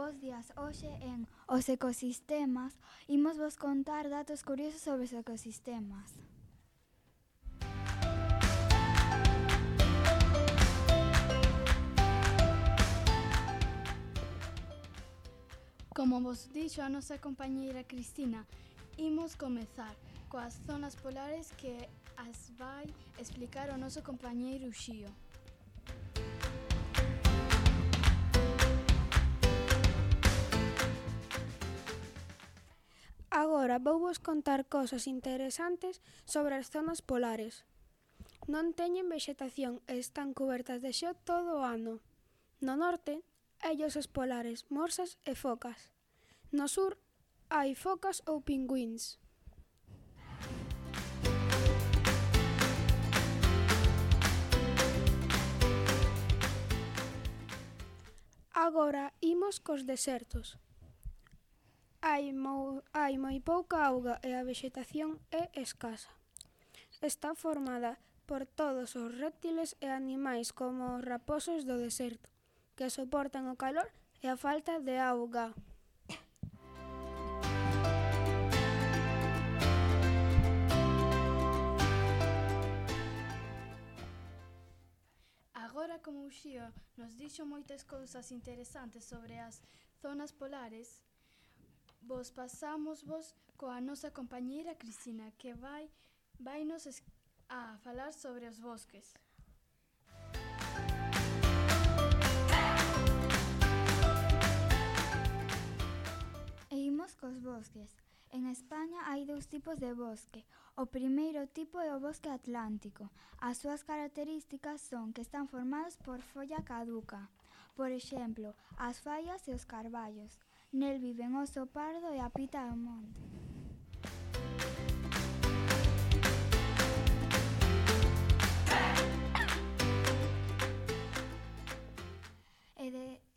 Bos días, hoxe en Os Ecosistemas imos vos contar datos curiosos sobre os ecosistemas. Como vos dixo a nosa compañeira Cristina, imos comezar coas zonas polares que as vai explicar o noso compañeiro Xío. Agora vouvos contar cosas interesantes sobre as zonas polares. Non teñen vexetación e están cubertas de xeo todo o ano. No norte, hai osos polares, morsas e focas. No sur, hai focas ou pingüíns. Agora imos cos desertos. Hai moi pouca auga e a vexetación é escasa. Está formada por todos os réptiles e animais como os raposos do deserto, que soportan o calor e a falta de auga. Agora, como o Xío nos dixo moitas cousas interesantes sobre as zonas polares, vos pasámosvos coa nosa compañeira Cristina, que vainos a falar sobre os bosques. E imos cos bosques. En España hai dous tipos de bosque. O primeiro tipo é o bosque atlántico. As súas características son que están formados por folla caduca. Por exemplo, as faias e os carballos. Nel viven o oso pardo e a pita do monte.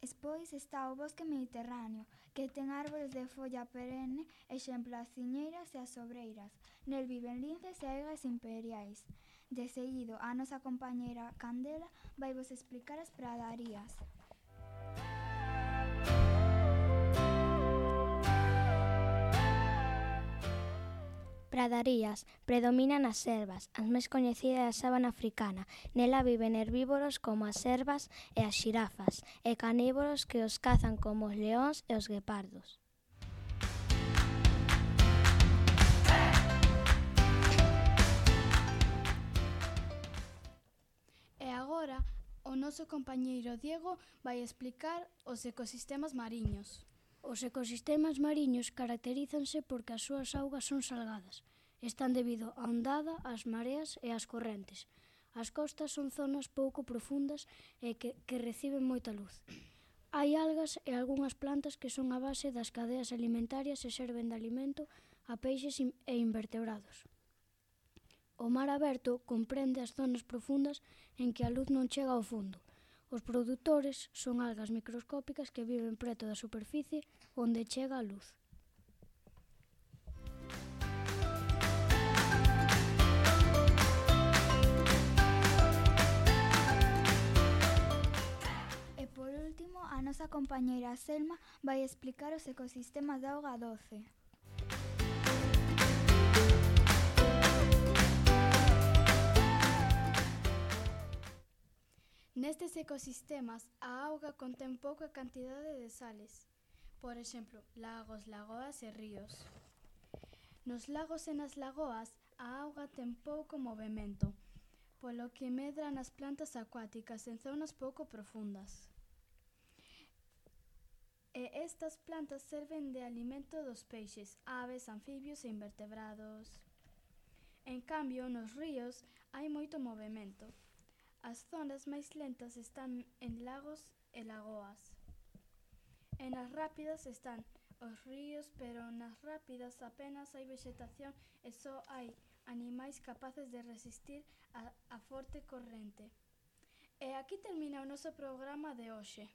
Despois está o bosque mediterráneo, que ten árbores de folla perenne, exemplo as ciñeiras e as sobreiras. Nel viven linces e aigas imperiais. De seguido, a nosa compañeira Candela vaivos explicar as pradarías. Pradarías. Predominan as selvas, as máis coñecidas a sábana africana. Nela viven herbívoros como as servas e as xirafas, e carnívoros que os cazan como os leóns e os guepardos. E agora, o noso compañeiro Diego vai explicar os ecosistemas mariños. Os ecosistemas mariños caracterízanse porque as súas augas son salgadas. Están debido á ondada, ás mareas e ás correntes. As costas son zonas pouco profundas e que reciben moita luz. Hai algas e algunhas plantas que son a base das cadeas alimentarias e serven de alimento a peixes e invertebrados. O mar aberto comprende as zonas profundas en que a luz non chega ao fondo. Os produtores son algas microscópicas que viven preto da superficie onde chega a luz. E por último, a nosa compañeira Selma vai explicar os ecosistemas de auga doce. Nestes ecosistemas, a auga contén pouca cantidade de sales. Por exemplo, lagos, lagoas e ríos. Nos lagos e nas lagoas, a auga ten pouco movemento, polo que medra nas plantas acuáticas en zonas pouco profundas. E estas plantas serven de alimento dos peixes, aves, anfibios e invertebrados. En cambio, nos ríos hai moito movemento. As zonas máis lentas están en lagos e lagoas. E nas rápidas están os ríos, pero nas rápidas apenas hai vexetación e só hai animais capaces de resistir a forte corrente. E aquí termina o noso programa de hoxe.